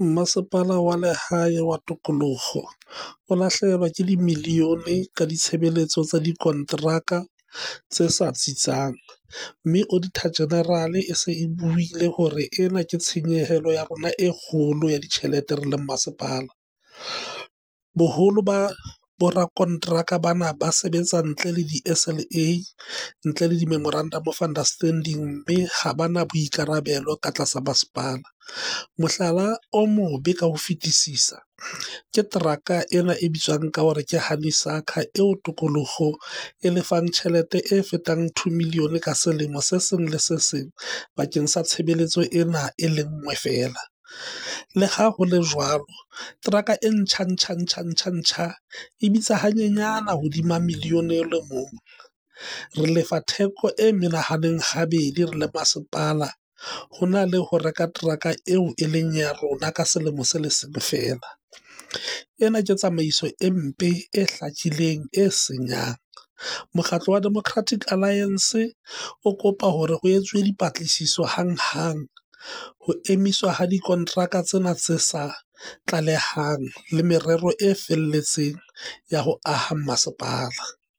Mmasepala wa Lehae wa Tokoloho o lahlehelwa ke dimilione ka ditshebeletso tsa dikonteraka tse sa tsitsang, mme Auditor-General e se e buile hore ena ke tshenyehelo ya rona e kgolo ya ditjhelete re le masepala. Boholo ba borakonteraka bana ba sebetsa ntle le di-SLA, ntle le di-memorandum of understanding mme ha ba na boikarabelo ka tlasa masepala. Mohlala o mobe ka ho fetisisa ke teraka ena e bitswang ka hore ke Honeysucker eo Tokoloho e lefang tjhelete e fetang R2 milione ka selemo se seng le se seng bakeng sa tshebeletso ena e le nngwe feela. Le ha ho le jwalo, teraka e ntjha-ntjha-ntjha-ntjha-ntjha e bitsa hanyenyana hodima milione o le mong. Re lefa theko e menahaneng habedi re le masepala ho na le ho reka teraka eo e leng ya rona ka selemo se le seng feela. Ena ke tsamaiso e mpe, e hlakileng, e senyang. Mokgatlo wa Democratic Alliance o kopa hore ho etsuwe dipatlisiso hanghang, ho emiswa ha dikonteraka tsena tse sa tlalehang le merero e felletseng ya ho aha masepala.